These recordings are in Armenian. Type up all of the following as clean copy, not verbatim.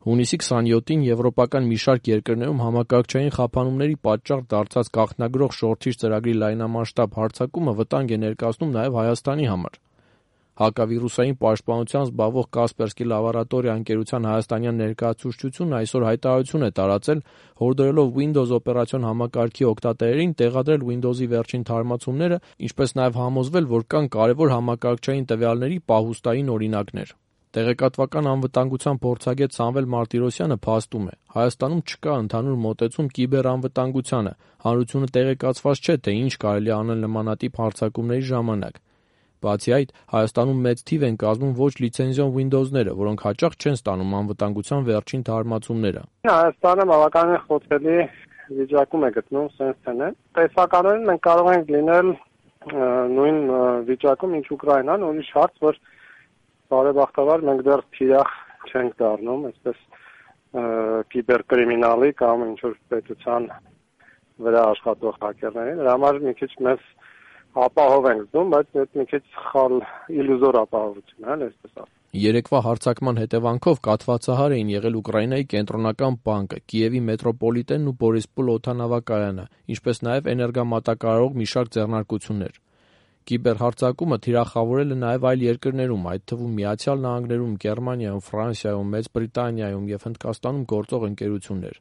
Հունիսի 27-ին եվրոպական մի շարք երկրներում համակարգչային խափանումների պատճառ դարձած գաղտնագրող շորթիչ ծրագրի լայնամասշտաբ հարձակումը վտանգ է ներկայացնում նաև Հայաստանի համար։ Հակավիրուսային պաշտպանությամբ զբաղվող Կասպերսկի լաբորատորիա ընկերության հայաստանյան ներկայացուցչությունն այսօր հայտարարություն է տարածել, հորդորելով Windows օպերացիոն համակարգի օգտատերերին տեղադրել Windows-ի վերջին թարմացումները, ինչպես նաև համոզվել, որ կան կարևոր համակարգչային տվյալների պահուստային օրինակներ։ Տեղեկատվական անվտանգության փորձագետ Սամվել Մարտիրոսյանը փաստում է. Հայաստանում չկա ընդհանուր մոտեցում կիբերանվտանգությանը, հանրությունը տեղեկացված չէ, թե ինչ կարելի է անել նմանատիպ հարձակումների ժամանակ։ Բացի այդ, Հայաստանում մեծ թիվ են կազմում ոչ լիցենզիոն Windows-ները, որոնք հաճախ չեն ստանում անվտանգության վերջին թարմացումները։ Հայաստանը բավականին խոցելի վիճակում է գտնում սենսենը։ Տեսականորեն մենք կարող ենք լինել նույն վիճակում, ինչ Ուկրաինան, ուրիշ հարց, որ բարեբախտաբար մենք դեռ թիրախ չենք դառնում, այսպես կիբերկրիմինալի կամ ինչ-որ պետության վրա աշխատող հակերների։ Դրա համար մի քիչ մեզ ապահով ենք զգում, բայց դա մի քիչ սխալ իլյուզոր ապահովություն է, այսպես ասած։ Երեկվա հարձակման հետևանքով կաթվածահար էին եղել Ուկրաինայի կենտրոնական բանկը, Կիևի մետրոպոլիտենն ու Բորիսպոլ օդանավակայանը, ինչպես նաև էներգամատակարարող մի շարք ձեռնարկություններ։ Կիբերհարձակումը թիրախավորել է նաև այլ երկրներում, այդ թվում Միացյալ Նահանգներում, Գերմանիայում, Ֆրանսիայում, Մեծ Բրիտանիայում և Հնդկաստանում գործող ընկերություններ։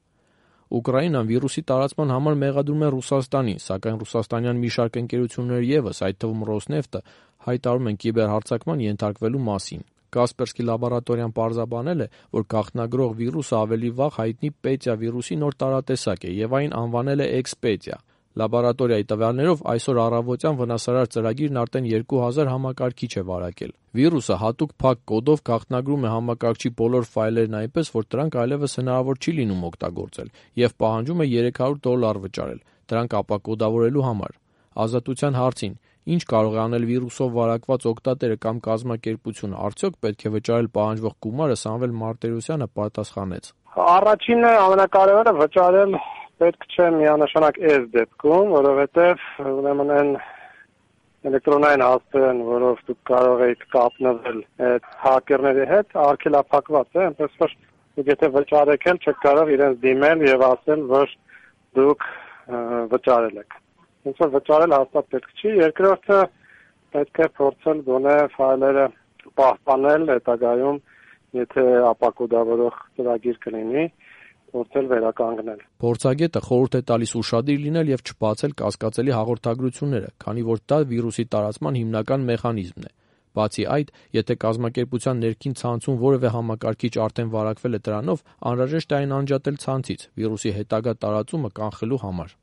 Ուկրաինան վիրուսի տարածման համար մեղադրում է Ռուսաստանին, սակայն ռուսաստանյան մի շարք ընկերություններ ևս, այդ թվում Ռոսնեֆտը, հայտարարում են կիբերհարձակման ենթարկվելու մասին։ Կասպերսկի լաբորատորիան պարզաբանել է, որ գաղտնագրող վիրուսը ավելի վաղ հայտնի Պետիա վիրուսի նոր տարատեսակ է և այն անվանել է Էքսպետիա։ Լաբորատորիայի տվյալներով այսօր առավոտյան վնասարար ծրագիրն արդեն 2000 համակարգիչ է վարակել։ Վիրուսը հատուկ փակ կոդով գաղտնագրում է համակարգչի բոլոր ֆայլերն այնպես, որ դրանք այլևս հնարավոր չի լինում օգտագործել և պահանջում է $300 վճարել դրանք ապակոդավորելու համար։ Ազատության հարցին, ինչ կարող է անել վիրուսով վարակված օգտատերը կամ կազմակերպությունը, արդյոք պետք է վճարել պահանջվող գումարը, Սամվել Մարտիրոսյանը պատասխանեց. Առաջինը ամենակարևորը վճարել պետք չէ միանշանակ այս դեպքում, որովհետև ուրեմն այն էլեկտրոնային հասցեն, որով դուք կարող եք կապնվել այդ հակերների հետ, արգելափակված է, այնպես որ դուք եթե վճարեք էլ չեք կարող իրենց դիմել եւ ասել, որ դուք վճարել եք։ Ոնց որ վճարել հաստատ պետք չի։ Երկրորդը պետք է փորձել գոնե ֆայլերը պահպանել հետագայում, եթե ապակոդավորող ծրագիր կլինի, փորձել վերականգնել։ Փորձագետը խորհուրդ է տալիս ուշադիր լինել եւ չբացել կասկածելի հաղորդագրությունները, քանի որ դա վիրուսի տարածման հիմնական մեխանիզմն է։ Բացի այդ, եթե կազմակերպության ներքին ցանցում որևէ համակարգիչ արդեն վարակվել է դրանով, անհրաժեշտ է այն անջատել ցանցից վիրուսի հետագա տարածումը կանխելու համար։